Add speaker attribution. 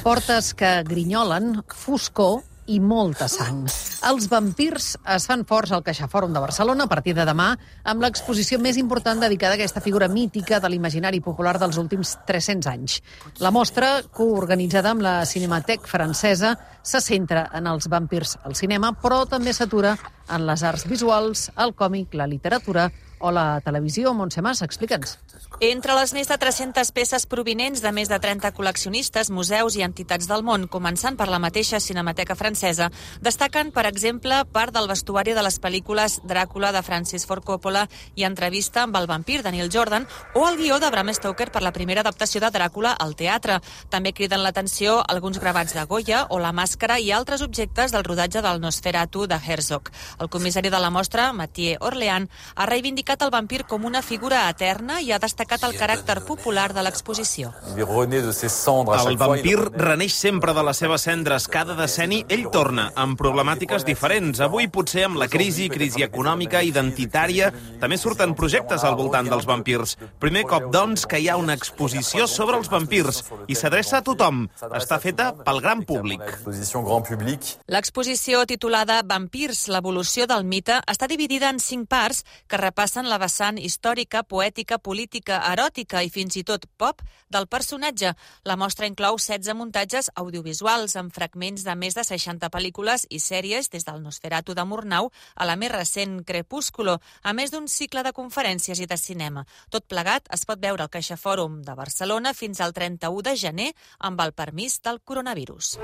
Speaker 1: Portes que grinyolen, foscor i molta sang. Els vampirs es fan forts al CaixaFòrum de Barcelona a partir de demà amb l'exposició més important dedicada a aquesta figura mítica de l'imaginari popular dels últims 300 anys. La mostra, coorganitzada amb la Cinémathèque francesa, se centra en els vampirs al cinema, però també s'atura en les arts visuals, el còmic, la literatura o la televisió. Montse Mas, explica'ns.
Speaker 2: Entre les més de 300 peces provinents de més de 30 col·leccionistes, museus i entitats del món, començant per la mateixa Cinemateca francesa, destaquen, per exemple, part del vestuari de les pel·lícules Dràcula de Francis Ford Coppola i Entrevista amb el vampir de Neil Jordan o el guió de Bram Stoker per la primera adaptació de Dràcula al teatre. També criden l'atenció alguns gravats de Goya o la màscara i altres objectes del rodatge del Nosferatu de Herzog. El comissari de la mostra, Mathieu Orléan, ha reivindicat el vampir com una figura eterna i ha destacat el caràcter popular de l'exposició.
Speaker 3: El vampir reneix sempre de les seves cendres. Cada decenni ell torna amb problemàtiques diferents. Avui potser amb la crisi econòmica, identitària, també surten projectes al voltant dels vampirs. Primer cop, doncs, que hi ha una exposició sobre els vampirs i s'adreça a tothom. Està feta pel gran públic.
Speaker 2: L'exposició titulada Vampirs, l'evolució del mite, està dividida en 5 parts que repassen la vessant històrica, poètica, política, eròtica i fins i tot pop del personatge. La mostra inclou 16 muntatges audiovisuals amb fragments de més de 60 pel·lícules i sèries des del Nosferatu de Murnau a la més recent Crepúsculo, a més d'un cicle de conferències i de cinema. Tot plegat es pot veure al CaixaFòrum de Barcelona fins al 31 de gener amb el permís del coronavirus.